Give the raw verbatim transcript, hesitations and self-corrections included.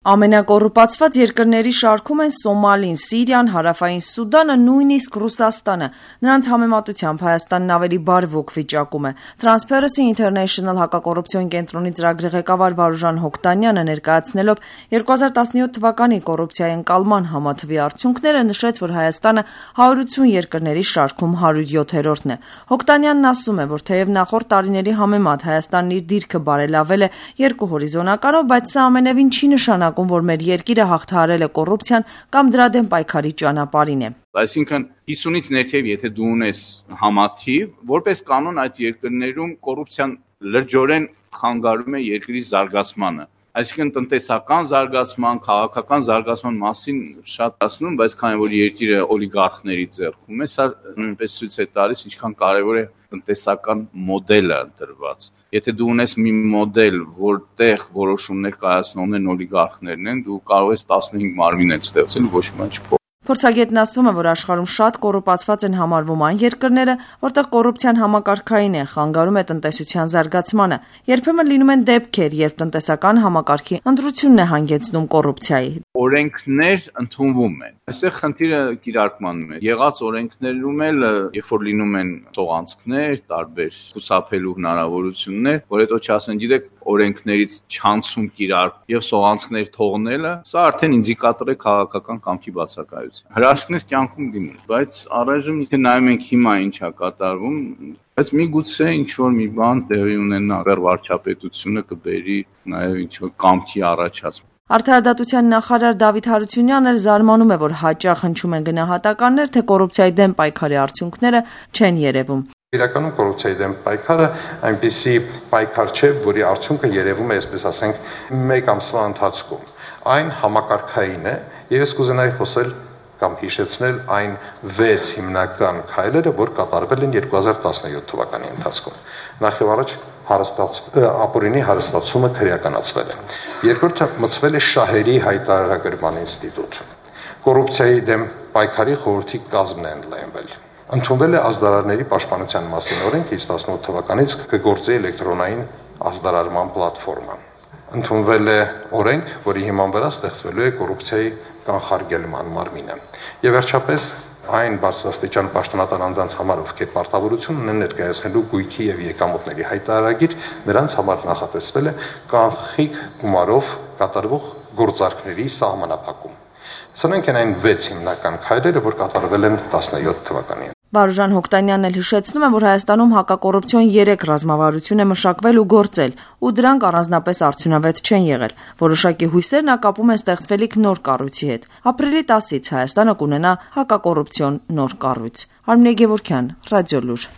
Ամենակոռուպացված երկրների շարքում են Սոմալին, Սիրիան, Հարավային Սուդանը, նույնիսկ Ռուսաստանը: Նրանց համեմատությամբ Հայաստանն ավելի բարվոք վիճակում է: Transparency International հակակոռուպցիոն կենտրոնի ծրագրի ղեկավար Վարուժան Հոկտանյանը ներկայացնելով երկու հազար տասնյոթ թվականի կոռուպցիայի ընկալման համաթվի արդյունքները, նշեց, որ Հայաստանը հարյուրություն երկրների շարքում հարյուր յոթերորդն է: Հոկտանյանն ասում է, որ թեև նախորդ տարիների համեմատ Հայաստանն իր դիրքը բարելավել է երկու հորիզոնականով, բայց սա ամենևին չի նշանակում, որ մեր երկիրը հաղթահարել է կոռուպցիան կամ դրա դեմ պայքարի ճանապարհին է: Այսինքն հիսունից ներքև եթե դու ունես համաթիվ, որպես կանոն այդ երկրներում կոռուպցիան լրջորեն խանգարում է երկրի զարգացմանը: Այսինքն տնտեսական զարգացման, քաղաքական զարգացման մասին շատ ասում, բայց քանի որ երկիրը օլիգարխների ձեռքում է, սա նույնպես ցույց է տալիս ինչքան կարևոր է տնտեսական մոդելը ընտրված: Եթե դու ունես մի մոդել, որտեղ որոշումներ կայացնողներն օլիգարխներն են, դու կարող ես տասնհինգ մարմիններ ստեղծել ու ոչ մի բան չփոխի: Փորձագետն ասում է, որ աշխարհում շատ կոռուպացված են համարվում այն երկրները, որտեղ կոռուպցիան համակարգային է, խանգարում է տնտեսության զարգացմանը: Երբեմն լինում են դեպքեր, երբ տնտեսական համակարգի ընտրությունն է հանգեցնում կոռուպցիայի: Օրենքներ ընդունվում են: Այստեղ խնդիրը կիրարկմանն է: Եղած օրենքներում էլ երբ որ լինում են սողանցքներ, տարբեր խուսափելու հնարավորություններ, որ հետո չասեն, գիտեք, օրենքներից չանցում կիրառք եւ սողանցքներ թողնելը, սա արդեն ինդիկատոր է քաղաքական կամքի բացակայության: Հրաշքներ կյանքում լինում, բայց առայժմ եթե նայում ենք հիմա ինչ է կատարվում, բայց միգուցե ինչ-որ մի բան տեղի ունենա, վարչապետությունը կբերի նաեւ ինչ-որ կամքի առաջացում: Արդարադատության նախարար Դավիթ Հարությունյանն էլ զարմանում է, որ հաճախ հնչում են գնահատականներ, թե կոռուպցիայի դեմ պայքարի արդյունքները չեն երևում: Իրականում կոռուպցիայի դեմ պայքարը այնպիսի պայքար չէ, որի արդյունքը երևում է, այսպես ասենք, մեկ ամսվա ընթացքում: Այն համակարգային է եւ ես կուզենայի խոսել կամ հիշեցնել այն վեց հիմնական քայլերը, որ կատարվել են երկու հազար տասնյոթ թվականի ընթացքում: Նախ եւ առաջ ապօրինի հարստացումը քրեականացվել է: Երկրորդը մտցվել է շահերի հայտարարագրման ինստիտուտ: Կոռուպցիայի դեմ պայքարի խորհրդի կազմն է ընդլայնվել: Ընդունվել է ազդարարների պաշտպանության մասին օրենք, իսկ տասնութ թվականից կգործի էլեկտրոնային ազդարարման պլատֆորմա: Ընդունվել է օրենք, որի հիման վրա ստեղծվելու է կոռուպցիայի կանխարգելման մարմինը: Եվ վերջապես այն բարձրաստիճան պաշտոնատար անձանց համար, ովքեր պարտավորություն ունեն ներկայացնելու գույքի եւ եկամուտների հայտարարագիր, նրանց համար նախատեսվել է կանխիկ գումարով կատարվող գործարքների սահմանափակում: Սրանք են այն վեց հիմնական քայլերը, որ կատարվել են տասնյոթ թվականին: Վարուժան Հոկտանյանն էլ հիշեցնում է, որ Հայաստանում հակակոռուպցիոն երեք ռազմավարություն է մշակվել ու գործել, ու դրանք առանձնապես արդյունավետ չեն եղել: Որոշակի հույսեր նա կապում է ստեղծվելիք նոր կառույցի հետ: Ապրիլի տասից Հայաստանը կունենա հակակոռուպցիոն նոր կառույց: Արմինե Գևորգյան, Ռադիոլուր: